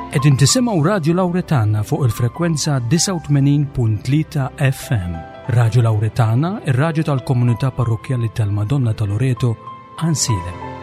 Qegħdin tisimgħu Radju Lawretana fuq il-frekwenza 89.3 FM. Radju Lawretana, ir-radju tal-komunità parrokkjali tal-Madonna ta' Loreto, Ansilem.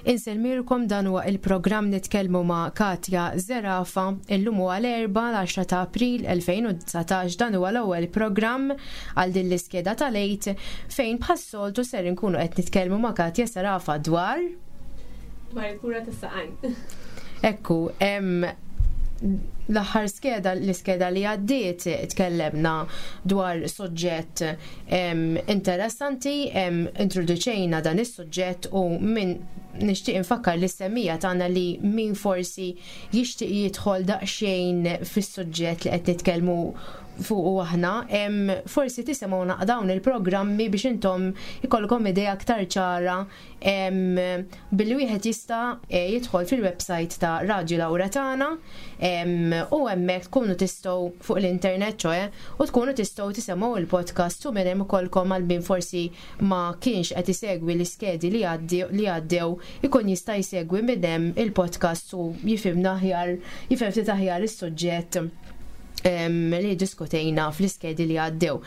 Insellmilkom dan huwa il-programm Nitkellmu ma' Katja Zerafa. Illum huwa l-Erbgħa l-10 ta' April 2019 dan huwa l-ewwel programm għal din l-iskeda tal-Għid fejn bħas-soltu ser inkunu qed nitkellmu ma' Katja Zerafa dwar dwar il-kura tas-saqajn. Ekku, l-aħħar skeda, l-iskeda li għaddiet tkellemna dwar soġġett interessanti, introduċejna dan is-suġġett u min nixtieq infakkar li semmija tagħna li min forsi jixtieq jidħol daqsxejn fis-suġġett li qed nitkellmu fuqu aħna, forsi tisimgħu dawn il-programmi biex intom ikollkom idea aktar ċara billi wieħed jista' eh, jidħol fil-website ta' Radju Laura tagħna u hemmhekk tkunu tistgħu fuq l-internet ċoe u tkunu tistgħu tisemgħu il-podcast u minn hemm ukollkom għal min forsi ma kienx qed isegwi l-iskedi li għaddew ikun jista' jsegwi minn hemm il-podcast u jifhimna aħjar jifhem ftit aħjar is-suġġett li diskutejna fl-iskedi li għaddew.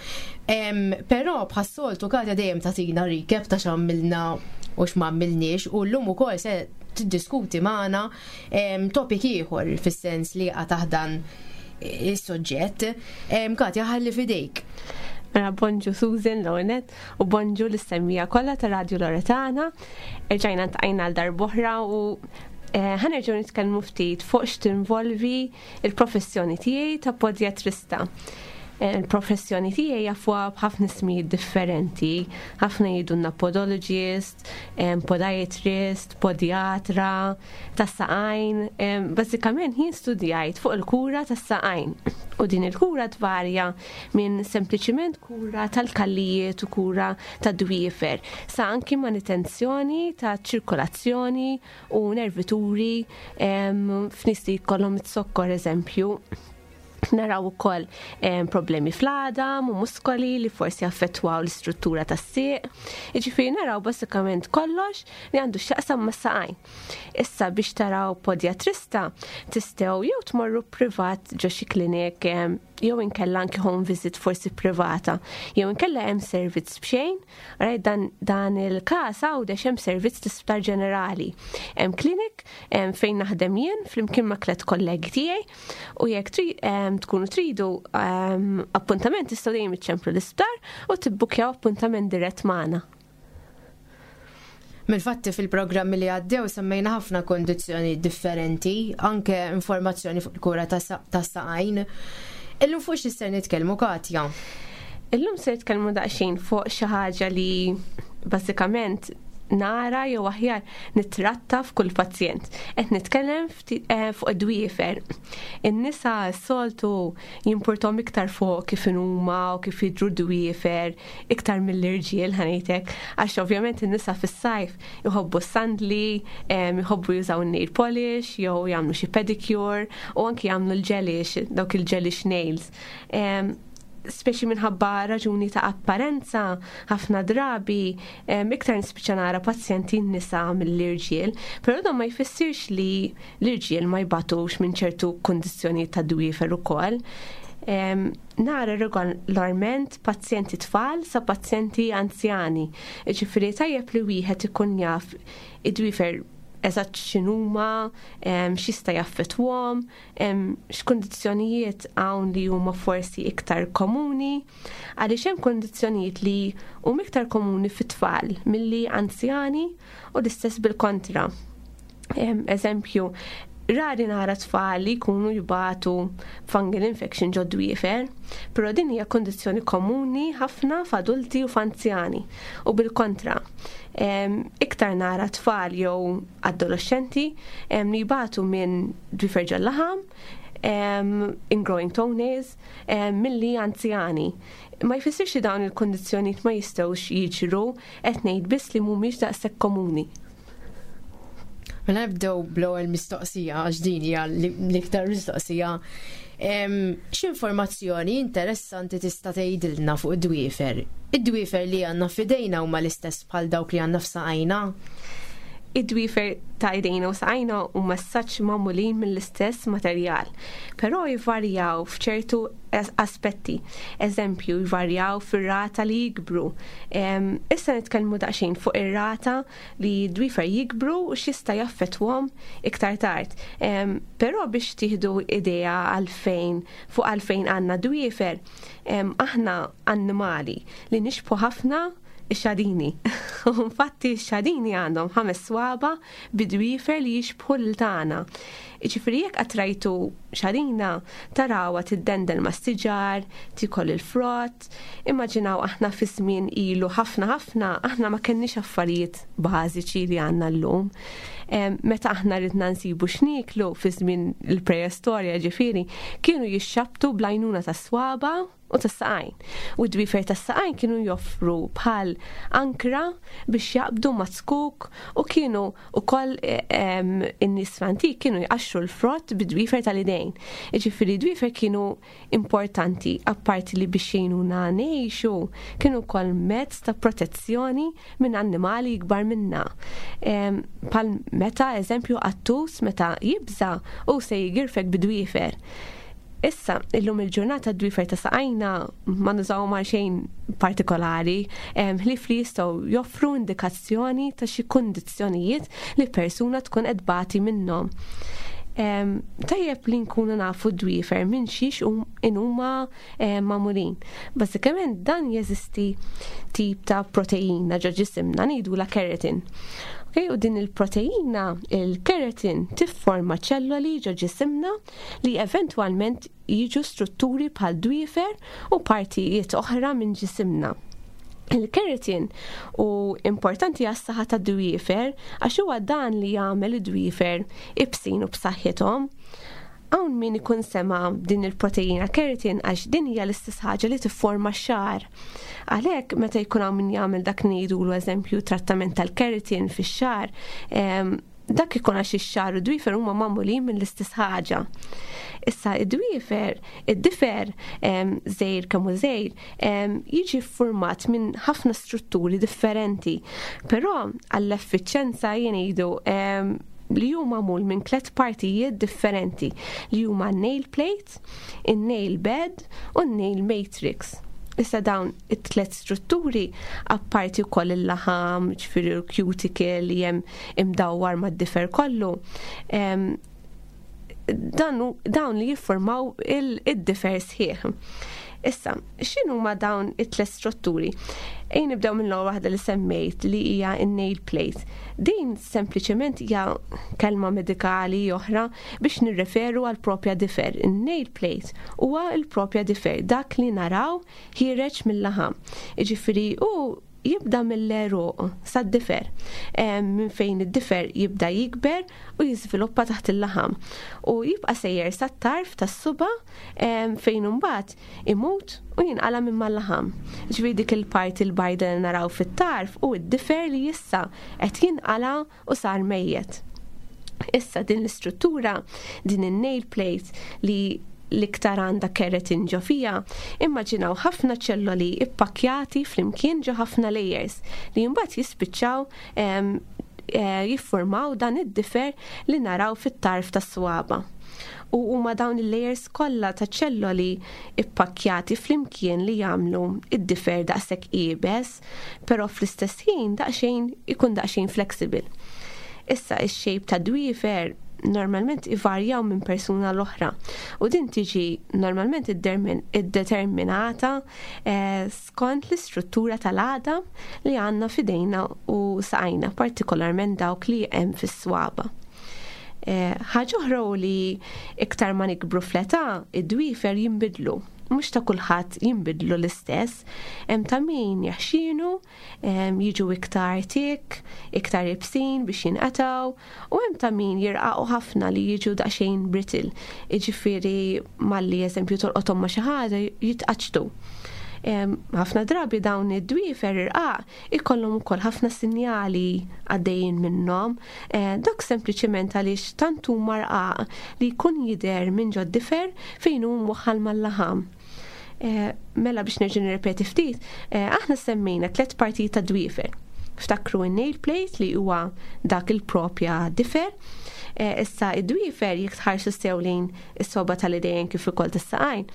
Però bħas-soltu Katja dejjem tagħtina recap ta' x'għamilna u x'm'għamilniex u llum ukoll se tiddiskuti magħna topic ieħor fis-sens li jaqa' taħt dan is-suġġett. Katja ħalli f'idejk. Mela bonġu Susan l-ewwel u bonġu lis-semmija kollha ta' Radio Loretana. Erġajna ntqajna għal darb'oħra u eh, ħanerġgħu nitkellmu ftit fuq x'tinvolvi il-professjoni tiegħi ta' podjatrista. Eh, il-professjoni tiegħi jafuha b'ħafna ismijiet differenti, ħafna jgħidulna podologist, eh, podiatrist, podiatra, tas-saqajn. Eh, bażikament jien studjajt fuq il-kura tas-saqajn. U din il-kura tvarja minn sempliċiment kura tal-kallijiet u kura tad-dwiefer, sa anki manutenzjoni ta' ċirkolazzjoni u nervituri f'nies li jkollhom it-sokkor eżempju. Naraw ukoll problemi fl-għadam u muskoli li forsi affettwaw l-istruttura tas-sieq. Jiġifieri naraw bażikament kollox li għandu x'jaqsam mas-saqajn. Issa biex taraw podjatrista tistgħu jew tmorru privat ġo xi klinik jew inkella anki home visit forsi privata, jew inkella hemm servizz b'xejn, right, dan, dan il-każ għawdex hemm servizz l-isptar ġenerali. Hemm klinik fejn naħdem jien flimkien ma' tliet kollegi tiegħi u jekk tri, tkunu tridu appuntament tistgħu dejjem iċċemplu l-isptar u tibbukjaw appuntament dirett magħna. Mill-fatti fil-programmi li għaddew semmejna ħafna kondizzjoni differenti, anke informazzjoni fuq il-kura tas-saqajn. Illum fuq xi ser nitkellmu Katja? Illum se nitkellmu daqsxejn fuq xi ħaġa li bażikament nara jew aħjar nittratta f'kull pazjent. Qed nitkellem eh, fuq id-dwiefer. In-nisa s-soltu jimpurtom iktar fuq kif huma u kif jidhru d-dwiefer iktar mill-irġiel ħanejtek, għax ovvjament in-nisa fis-sajf jħobbu s-sandli, jħobbu jużaw nail polish jew jagħmlu xi pedicure u anki jagħmlu l-gelish, dawk il-gelish nails. Speċi minħabba raġuni ta' apparenza, ħafna drabi iktar nispiċċa nara pazjenti nisa mill-irġiel, però dan ma jfissirx li l-irġiel ma jbatux minn ċertu kundizzjonijiet ta' dwiefer ukoll. Nara regolarment pazjenti tfal sa pazjenti anzjani. Ġifieri tajjeb li wieħed ikun jaf id-dwiefer eżatt x'inhuma, x'jista' jaffettwhom, x'kundizzjonijiet hawn li huma forsi iktar komuni, għaliex hemm kundizzjonijiet li huma iktar komuni fit-tfal milli anzjani u l-istess bil-kontra. Eżempju, rari nara tfal li jkunu jbatu fungal infection ġo dwiefer, però din hija kondizzjoni komuni ħafna f'adulti u f'anzjani u bil-kontra. Iktar nara tfal jew adolescenti li jbatu minn dwiefer ġol-laħam, ingrowing toenails, milli anzjani. Ma jfissirx li dawn il-kondizzjonijiet ma jistgħux jiġru, qed ngħid biss li mhumiex daqshekk komuni. Mela nibdew bl-ewwel mistoqsija għax din hija l-iktar mistoqsija. X'informazzjoni interessanti tista' tgħidilna fuq id-dwiefer? Id-dwiefer li għandna f'idejna huma l-istess bħal dawk li għandna f'saqajna? Id-dwiefer ta' idejna u saqajna huma saċ magħmulin mill-istess materjal, però jvarjaw f'ċertu aspetti. Eżempju, jvarjaw fir-rata li jikbru. Issa nitkellmu daqsxejn fuq ir-rata li d-dwiefer jikbru u x'jista' jaffettwhom iktar tard. Però biex tieħdu idea għalfejn fuq għalfejn għandna dwiefer, aħna annimali li nixbħu ħafna ix-xadini. U infatti x-xadini għandhom ħames swaba bi dwiefer li jixbħu lil tagħna. Jiġifieri jekk qatt rajtu xadina tarawha tiddendel mas-siġar, tiekol il-frott, Immaġinaw aħna fi żmien ilu ħafna ħafna, aħna ma kenniex affarijiet bażiċi li għandna llum. Meta aħna ridna nsibu x'nieklu fi żmien il-preistorja ġifieri, kienu jixxabtu bl-għajnuna tas-swaba u tas-saqajn. U d-dwiefer tas-saqajn kienu joffru bħal ankra biex jaqbdu ma' zkuk u kienu ukoll in-nies fl-antik kienu jqaxxru l-frott bid-dwiefer tal-idejn. Jiġifieri d-dwiefer kienu importanti, apparti li biex jgħinuna ngħixu, kienu wkoll mezz ta' protezzjoni minn annimali ikbar minna. Bħal meta, eżempju, qattus meta jibża' hu se jigirfek bid-dwiefer. Issa, illum il-ġurnata d-dwiefer ta' saqajna ma nużawhom għal xejn partikolari, ħlief li jistgħu joffru indikazzjoni ta' xi kundizzjonijiet li persuna tkun qed tbati minnhom. Tajjeb li nkunu nafu d-dwiefer minn xiex inhuma magħmulin. Bażikament dan jeżisti tip ta' proteina ġo ġisimna ngħidulha keratin. Okay, u din il-proteina, il-keratin, tifforma ċelloli ġo ġisimna li eventwalment jiġu strutturi bħal dwiefer u partijiet oħra minn ġisimna. Il-keratin u importanti għas-saħħa tad-dwiefer għax huwa dan li jagħmel id-dwiefer ibsin u b'saħħithom. Hawn min ikun sema din il-proteina keratin għax din hija l-istess ħaġa li tifforma x-xagħar. Għalhekk meta jkun hawn min jagħmel dak ngħidulu eżempju trattament tal-keratin fix-xagħar, Dak ikun għax ix-xagħar u d-dwiefer huma magħmulin mill-istess ħaġa. Issa id-dwiefer, id-difer żgħir kemm hu żgħir, jiġi ffurmat minn ħafna strutturi differenti. Però għall-effiċjenza jien ngħidu li hu magħmul minn tliet partijiet differenti li huma n-nail plate, in-nail bed u n-nail matrix. Issa dawn it-tlet strutturi apparti wkoll il-laħam, ġifieri l-cuticle li hemm imdawwar mad-difer kollu, dan dawn li jiffurmaw id-difer sħiħ. Issa, x'inhuma dawn it-tlet strutturi? Ejn nibdew minn l-ewwel waħda li semmejt li hija n-nail plate. Din sempliċement hija kelma medikali oħra biex nirreferu għal propja difer. In-nail plate huwa l-propja difer, dak li naraw ħiereġ mill-laħam. Jiġifieri hu Jibda mill-għeruq sad-difer, minn fejn id-difer jibda jikber u jiżviluppa taħt il-laħam u jibqa' sejjer sat-tarf tas-suba' fejn imbagħad imut u jinqala' minn mal-laħam. Ġifieri dik il-parti l-bajda li naraw fit-tarf hu d-difer li issa qed jinqala' u sar mejjet. Issa din l-istruttura, din in-nail plate li l-iktar għandha keratin ġo fiha, immaġinaw ħafna ċelloli ippakkjati flimkien ġo ħafna layers li mbagħad jispiċċaw eh, jiffurmaw dan id-difer li naraw fit-tarf tas-swaba. U huma dawn il-layers kollha ta' ċelloli ippakkjati flimkien li jagħmlu id-difer daqshekk iebes però fl-istess ħin daqsxejn ikun daqsxejn flexible. Issa ix-shape ta' dwiefer normalment ivarjaw minn persuna l-oħra u din tiġi normalment iddeterminata eh, skont l-istruttura tal-għadam li għandna f'idejna u saqajna, partikolarment dawk li hemm fis-swaba. Eh, ħaġa oħra li iktar ma nikbru fl-età, id-dwiefer jinbidlu mhux ta' kulħadd jinbidlu l-istess, hemm ta' min jaħxinu, jiġu iktar tik, iktar ibsin biex jinqatgħu, u hemm ta' min jirqaqu ħafna li jiġu daqsxejn brittle. Jiġifieri malli eżempju tolqothom ma' xi ħaġa jitqaċċtu. Ħafna drabi dawn id-dwiefer irqaq ikollhom ukoll ħafna sinjali għaddejjin minnhom. Eh, dak sempliċement għaliex tant huma rqaq li jkun jidher minn ġod-difer fejn hu mwaħħal mal-laħam. Eh, mela biex nerġa' nirrepeti ftit, eh, aħna semmejna tliet partijiet ta' dwiefer. Ftakru n-nail plate li huwa dak il-propja difer. Issa id-dwiefer jekk tħarsu sew lejn is-soba tal-idejn kif ukoll tas-saqajn.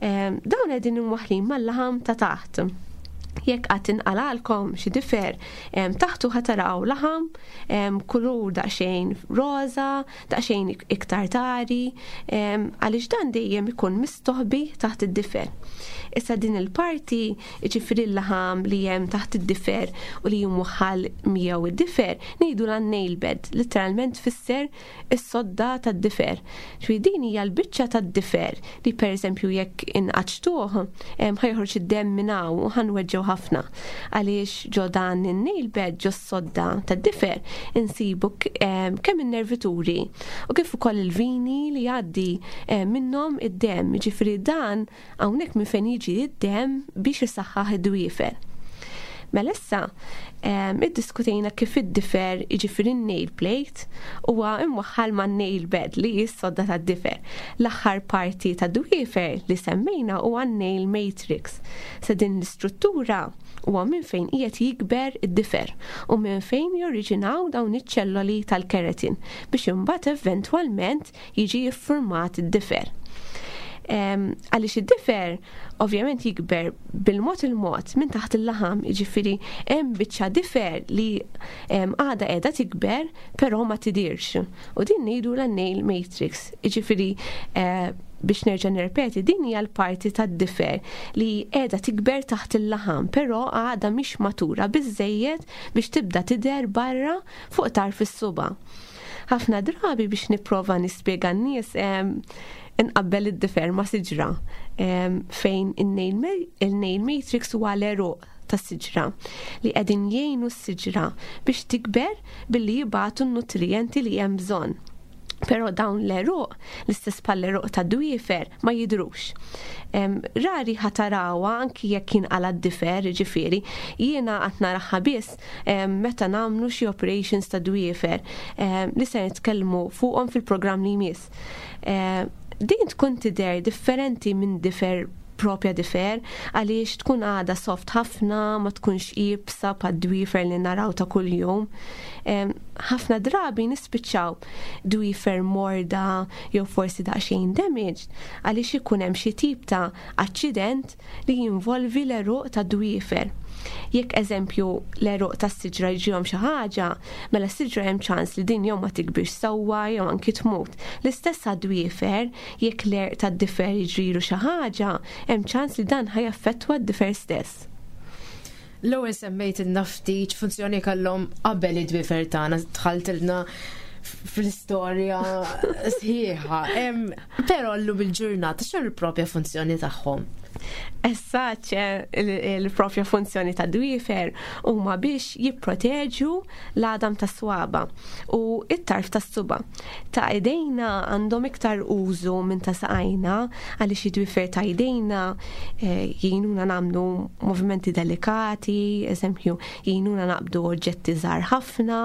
Dawn qegħdin imwaħħlin mal-laħam ta' taħt. Jekk qatt inqalalkom xi difer, taħtu ħa taraw laħam kulur daqsxejn roża, daqsxejn iktar tari, għaliex dan dejjem ikun mistoħbi taħt id-difer. Issa din il-parti, jiġifieri l-laħam li hemm taħt id-difer u li jimwaħħal miegħu id-difer, ngħidu la nail bed, litteralment tfisser is-sodda tad-difer. Ġifieri din hija l-biċċa tad-difer li pereżempju jekk inqaċċtuh ħa joħroġ id-demm minn hawn u ħa nweġġgħu ħafna. Għaliex ġo dan in-nail bed ġo s-sodda tad-difer insibu kemm in-nervituri u kif ukoll il-vini li jgħaddi minnhom id-demm. Ġifieri dan Hawnhekk minn fejn jiġi d-demm biex isaħħaħ id-dwiefer. Mela issa, iddiskutejna kif id-difer, jiġifieri n-nail plate, huwa imwaħħal man-nail bed li hi s-sodda tad-difer. L-aħħar parti tad-dwiefer li semmejna huwa n-nail matrix. Se din l-istruttura huwa minn fejn qiegħed jikber id-difer u minn fejn joriġinaw dawn iċ-ċelloli tal-keratin biex imbagħad eventwalment jiġi ffurmat id-difer. Għaliex id-difer ovvjament jikber bil-mod il-mod minn taħt il-laħam, jiġifieri hemm biċċa difer li għadha qiegħda tikber però ma tidirx. U din ngħidu la nail matrix, jiġifieri eh, biex nerġa' nirrepeti, din hija l-parti tad-difer li qiegħda tikber taħt il-laħam, però għadha mhix matura biżejjed biex tibda tidher barra fuq tarf is-suba. Ħafna drabi biex nipprova nispjega n-nies inqabbel id-difer ma' siġra fejn il-nail matrix huwa l-għeruq tas-siġra li qegħdin jgħinu s-siġra biex tikber billi jibagħtu n-nutrijenti li hemm bżonn. Però dawn l-għeruq, l-istess bħall-għeruq ta' dwiefer, ma jidhrux. Rari ħa tarawha anki jekk jinqala' d-difer, jiġifieri, jiena qatt naraha biss meta nagħmlu xi operations ta' dwiefer li se nitkellmu fuqhom fil-programm li jmiss. Din tkun tidher differenti minn difer propja difer għaliex tkun għadha soft ħafna, ma tkunx iebsa bħad-dwiefer li naraw ta' kuljum. Ħafna drabi nispiċċaw dwiefer morda jew forsi daqsxejn damaged għaliex ikun hemm xi tip ta' aċċident li jinvolvi l-għeruq tad-dwiefer. Jekk eżempju l-għeruq tas-siġra jiġrihom xi ħaġa, mela s-siġra hemm ċans li din jew ma tikbirx sewwa jew anki tmut. L-istess għad-dwiefer, jekk l-għerq tad-difer jiġrilu xi ħaġa, hemm ċans li dan ħa jaffettwa d-difer stess. L-ewwel semmejtilna ftit x'funzjoni kellhom qabel id-dwiefer tagħna, dħaltilna fl-istorja sħiħa. Però llum il-ġurnata x'inhu l-propja funzjoni tagħhom? Essaċ il-propja funzjoni ta' dwiefer huma biex jipproteġu l-għadam tas swaba u it-tarf tas suba. Ta' idejna għandhom iktar użu minn ta' saqajna għaliex id-dwiefer ta' idejna eh, jgħinuna nagħmlu movimenti delikati, eżempju, jgħinuna naqbdu oġġetti żgħar ħafna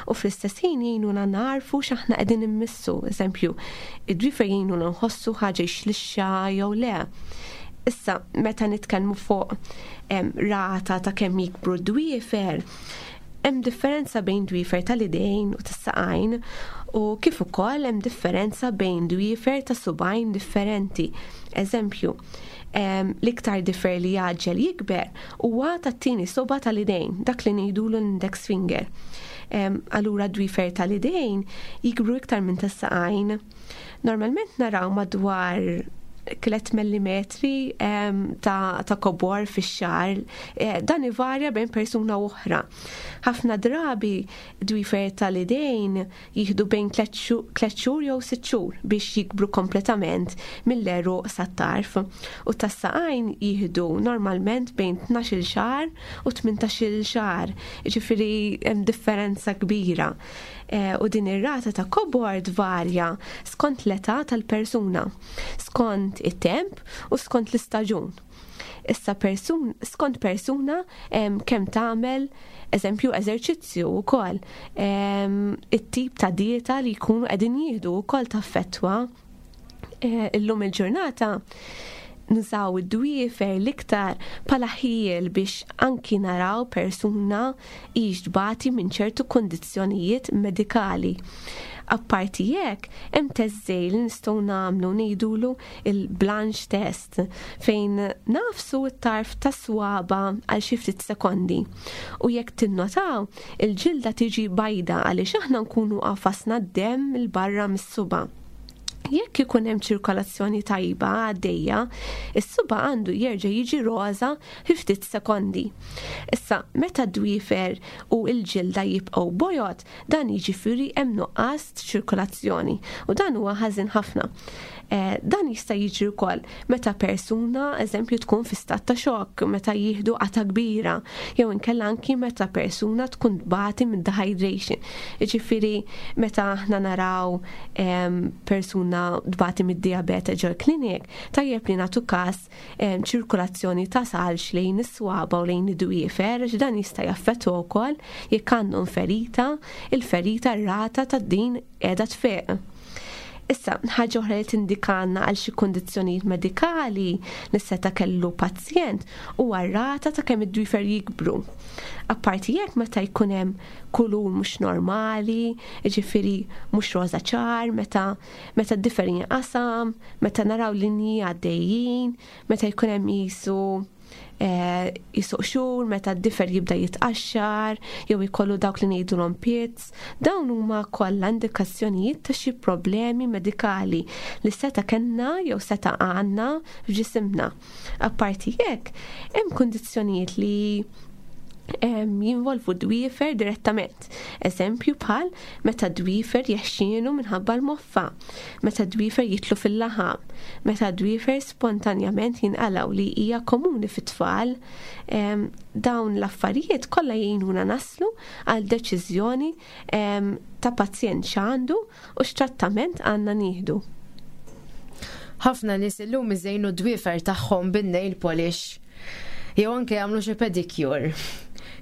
u fl-istess ħin jgħinuna narfu x'aħna qegħdin immissu, eżempju, id-dwiefer jgħinuna nħossu ħaġa xlixxa jew le. Issa, meta nitkellmu fuq rata ta' kemm jikbru d-dwiefer, hemm differenza bejn dwiefer tal-idejn u tas-saqajn u kif ukoll hemm differenza bejn dwiefer ta' subajn differenti. Eżempju, l-iktar difer li jgħaġġel jikber huwa tat-tieni soba tal-idejn, dak li ngħidulu l-index finger. Allura dwiefer tal-idejn jikbru iktar minn tas-saqajn. Normalment naraw madwar 3 millimetri ta', ta kobor fix-xar, eh, dan ivarja bejn persuna oħra. Ħafna drabi dwifer tal-idejn jieħdu bejn 3 xhur jew 6 xhur biex jikbru kompletament mill-għeruq sat-tarf u tas-saqajn jieħdu normalment bejn 12-il xahar u 18-il xahar, jiġifieri hemm differenza kbira. Eh, u din ir-rata ta' kobor tvarja skont l-età tal-persuna, skont it-temp u skont l-istaġun. Issa persun, skont persuna kemm tagħmel eżempju eżerċizzju wkoll it-tip ta' dieta li jkunu qegħdin jieħdu wkoll taffettwa. Eh, illum il-ġurnata nużaw id-dwiefer l-iktar bħala ħiel biex anki naraw persuna hix tbati minn ċertu kundizzjonijiet medikali. Apparti hekk, hemm test żgħir li nistgħu nagħmlu ngħidulu il-blanch test fejn nagħfsu t-tarf tas-swaba għal xi ftit sekondi. U jekk tinnotaw, il-ġilda tiġi bajda għaliex aħna nkunu għafasna d-demm 'il barra mis-suba'. Jekk ikun hemm ċirkolazzjoni tajba għaddejja, is-suba' għandu jerġa' jiġi roża fi ftit sekondi. Issa, meta d-dwiefer u l-ġilda jibqgħu bojod, dan jiġifieri hemm nuqqas ċirkolazzjoni u dan huwa ħażin ħafna. Eh, dan jista' jiġri wkoll meta persuna, eżempju, tkun fi stat ta' xokk, meta jieħdu qata kbira, jew inkella anki meta persuna tkun tbati minn dehydration. Jiġifieri meta aħna naraw persuna tbati mid-diabete ġol klinik, tajjeb li nagħtu każ ċirkulazzjoni ta' salx lejn is-swaba u lejn id-dwiefer, għax dan jista' jaffettwa wkoll jekk għandhom ferita, il-ferita r-rata ta' din qiegħda tfieq. Issa, ħaġa oħra li tindikanna għal xi kundizzjonijiet medikali li seta' kellu pazjent huwa r-rata ta' kemm id-dwiefer jikbru. Apparti hekk meta jkun hemm kulur mhux normali, jiġifieri mhux roża ċar, meta meta d-difer jinqasam, meta naraw linji għaddejjin, meta jkun hemm qisu Eh, jisuq xhur meta d-difer jibda jitqaxxar jew ikollu dawk li ngħidulhom pits, dawn huma kollha indikazzjonijiet ta' xi problemi medikali li seta' kellna jew seta' għandna f'ġisimna. Apparti hekk, hemm kundizzjonijiet li jinvolvu dwiefer direttament. Eżempju bħal meta dwiefer jeħxienu minħabba l-moffa, meta dwiefer jitlu fil-laħam, meta dwiefer spontanjament jinqalgħu li hija komuni fit-tfal. Dawn l-affarijiet kollha jgħinuna naslu għal deċiżjoni ta' pazjent x'għandu u x'trattament għandna nieħdu. Ħafna nies illum iżejnu d-dwiefer tagħhom bin-nail polish jew anke jagħmlu xi pedicure.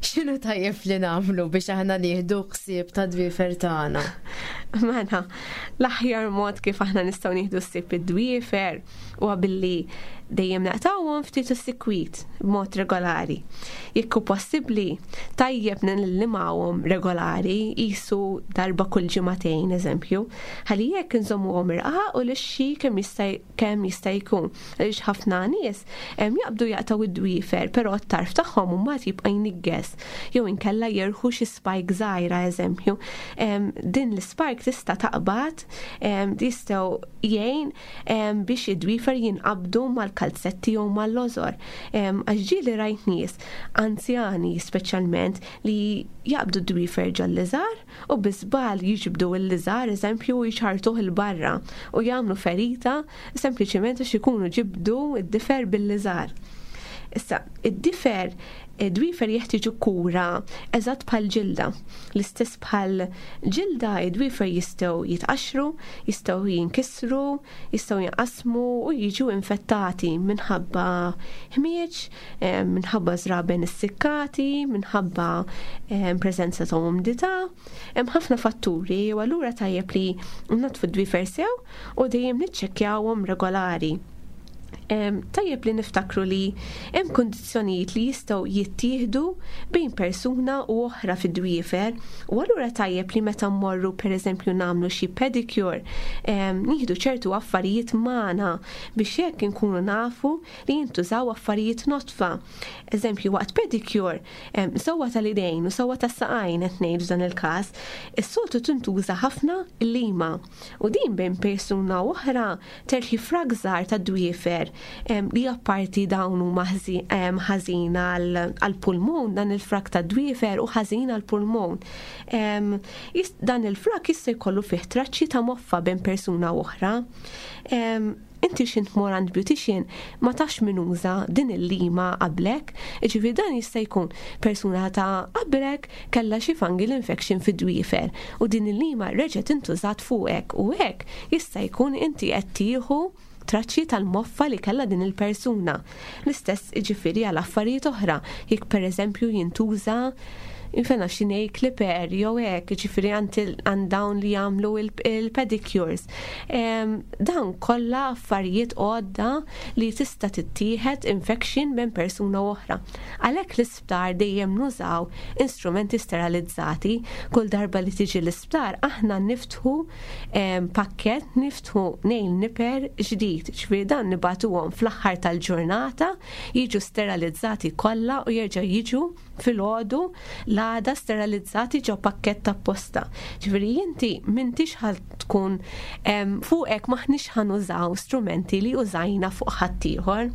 X'inhu tajjeb li nagħmlu biex aħna nieħdu ħsieb ta' dwiefer tagħna? Mela, l-aħjar mod kif aħna nistgħu nieħdu ħsieb id-dwiefer huwa billi dejjem naqtgħuhom ftit u sikwit b'mod regolari. Jekk hu possibbli, tajjeb nillimawhom regolari, qisu darba kull ġimagħtejn eżempju, ħalli jekk inżommuhom irqaq u lixxi kemm jista' kemm jista' jkun. Għaliex ħafna nies jaqbdu jaqtgħu id-dwiefer, però t-tarf tagħhom mbagħad jibqa' jniggeż jew inkella jerħu xi spike żgħira eżempju. Din l-spike tista' taqbad jistgħu jgħin biex id-dwiefer jinqabdu mal mal-kalzetti jew mal-lożor. Għax ġieli rajt nies anzjani speċjalment li jaqbdu d-dwiefer ġol-liżar u bi żball jiġbdu l-liżar eżempju u jċarrtuh 'il barra u jagħmlu ferita sempliċement għax ikunu ġibdu d-difer bil-liżar. Issa, id-difer, id-dwiefer jeħtieġu kura eżatt bħal ġilda. L-istess bħal ġilda, id-dwiefer jistgħu jitqaxxru, jistgħu jinkisru, jistgħu jinqasmu u jiġu infettati minħabba ħmieġ, minħabba żraben issikkati, minħabba preżenza ta' umdità. Hemm ħafna fatturi u allura tajjeb li nnaddfu d-dwiefer sew u dejjem niċċekkjawhom regolari. Tajjeb li niftakru li hemm kundizzjonijiet li jistgħu jittieħdu bejn persuna u oħra fid-dwiefer u allura tajjeb li meta mmorru pereżempju nagħmlu xi pedicure nieħdu ċertu affarijiet magħna biex hekk inkunu nafu li jintużaw affarijiet nodfa. Eżempju waqt pedicure sewwa tal-idejn u sewwa tas-saqajn qed ngħid f'dan il-każ, is-soltu tintuża ħafna l-lima u din bejn persuna u oħra Terħi frak żgħar ta' dwiefer li apparti dawn huma ħażin għall-pulmun, dan il-frak ta' dwiefer hu ħażin għall-pulmun. Dan il-frak jista' jkollu fih traċċi ta' moffa bejn persuna u oħra. Inti x'int tmur għand beautician ma tafx min uża din il-lima qablek, jiġifieri dan jista' jkun persuna ta' qablek kellha xi fungal infection fid-dwiefer u din il-lima reġgħet intużat fuqek u hekk jista' jkun inti qed tieħu traċċi tal-moffa li kellha din il-persuna. L-istess jiġifieri għal affarijiet oħra, jekk pereżempju jintuża infena xi nail clipper jew hekk, jiġifieri għand dawn li jagħmlu il-pedicures. Dawn kollha affarijiet għodda li tista' tittieħed infection minn persuna oħra. Għalhekk l-isptar dejjem nużaw instrumenti sterilizzati. Kull darba li tiġi l-isptar aħna niftħu pakkett, niftħu nail nipper ġdid, ġifieri dan nibagħtuhom fl-aħħar tal-ġurnata, jiġu sterilizzati kollha u jerġgħu jiġu filgħodu l-għada sterilizzati ġo pakkett apposta. Ġifieri inti m'intix ħa tkun fuqek m'aħniex ħa nużaw strumenti li użajna fuq ħaddieħor.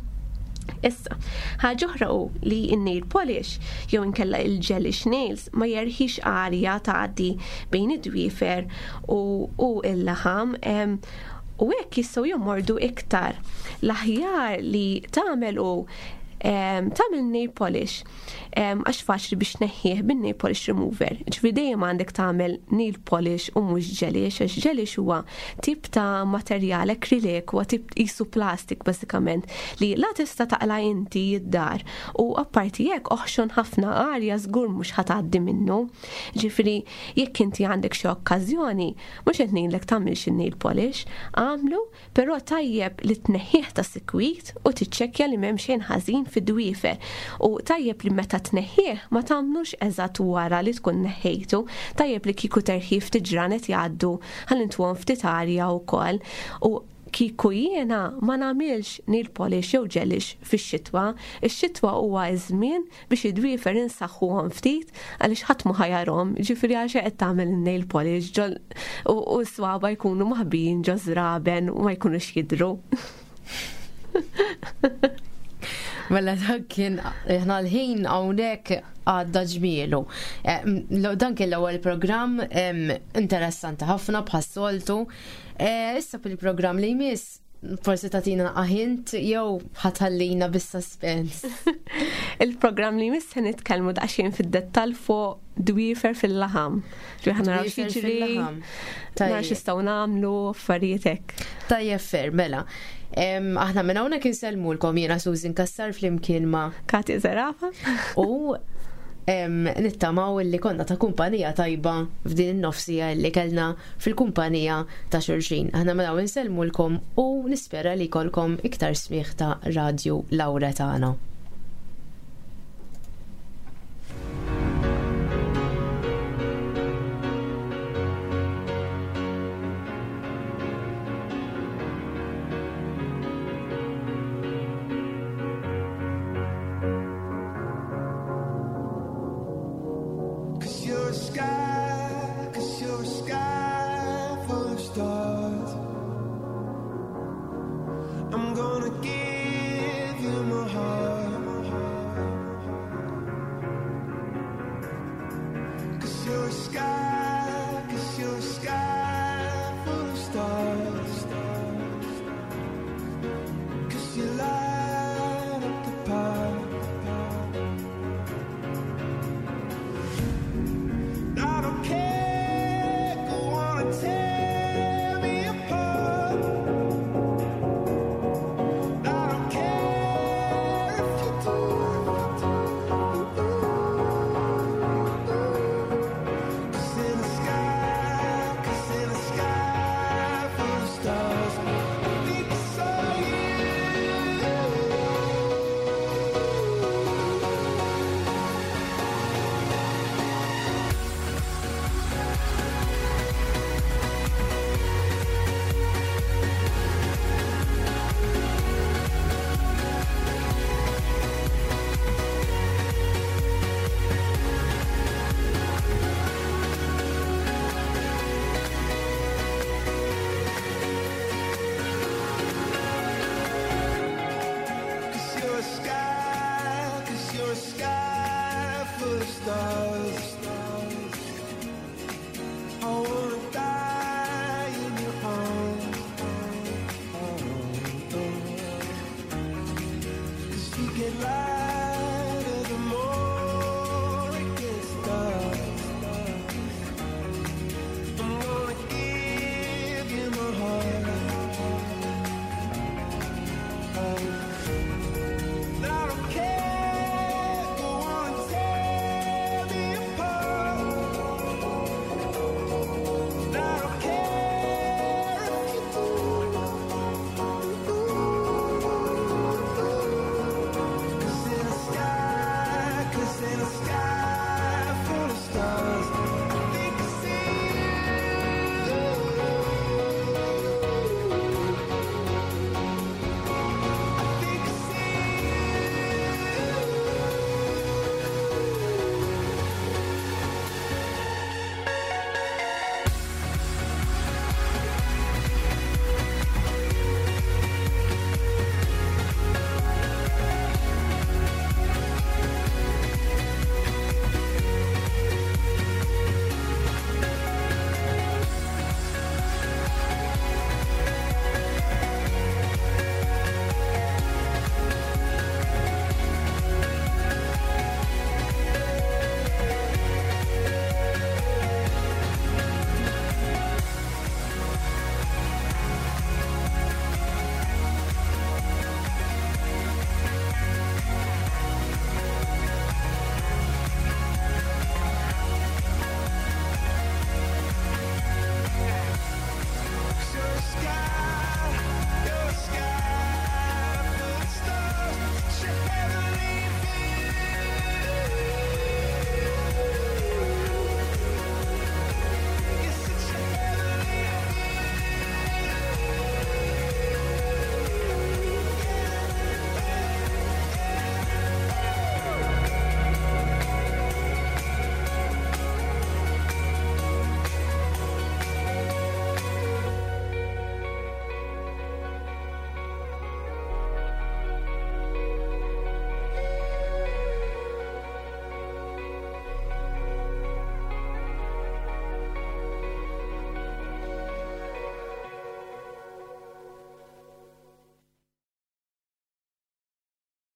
Issa, ħaġa oħra hu li n-nail polish jew inkella il-gelish nails ma jerħix arja tgħaddi bejn id-dwiefer u, u l-laħam u hekk jistgħu jomordu iktar. L-aħjar li tagħmel hu tagħmel nail polish għax faċli biex tneħħih bin-nail polish remover. Ġifieri dejjem għandek tagħmel nail polish u mhux gelish, għax gelish huwa tip ta' materjal akrilik, huwa tip qisu plastik bażikament li la tista' taqla' inti d-dar u apparti hekk oħxon ħafna arja żgur mhux ħa tgħaddi minnu. Ġifieri jekk inti għandek xi okkażjoni, mhux qed ngħidlek tagħmilx in-nail polish, agħmlu Però tajjeb li tneħħih ta' sikwit u tiċċekkja li m'hemm xejn ħażin fid-dwiefer. U tajjeb li meta tneħħih ma tagħmlux eżatt wara li tkun neħħejtu. Tajjeb li kieku terħih ftit ġranet jgħaddu ħalli ntuhom ftit arja wkoll. U kieku jiena ma nagħmilx nail polish jew gelish fix-xitwa. Ix-xitwa huwa ż-żmien biex id-dwiefer insaħħuhom ftit għaliex ħadd ma ħajarhom, ġifieri għal xejn qed tagħmel in-nail polish ġol u s-swaba jkunu maħbijin ġo żraben u ma jkunux jidhru. Mela dak kien aħna l-ħin hawnhekk għadda ġmielu. Eh, dan kien l-ewwel programm interessanti ħafna bħas-soltu. Eh, issa fil-programm li jmiss Forsi tatina naqqa hint jew ħatħallina bis-suspens. Il-programm li jmiss se nitkellmu daqsxejn fid-dettall fuq dwiefer fil-laħam. Ġifieri ħa naraw x'jiġri, naraw x'nistgħu nagħmlu, affarijiet hekk. Tajjeb fer, mela. Aħna minn hawnhekk insellmulkom jiena Susan Kassar flimkien ma' Kati Zerafa. U nittamaw li konna ta' kumpanija tajba f'din in-nofsija li kellna fil-kumpanija ta' xulxin. Aħna mela insellmulkom u nispera li jkollkom iktar smigħ ta' Radju Lauretana.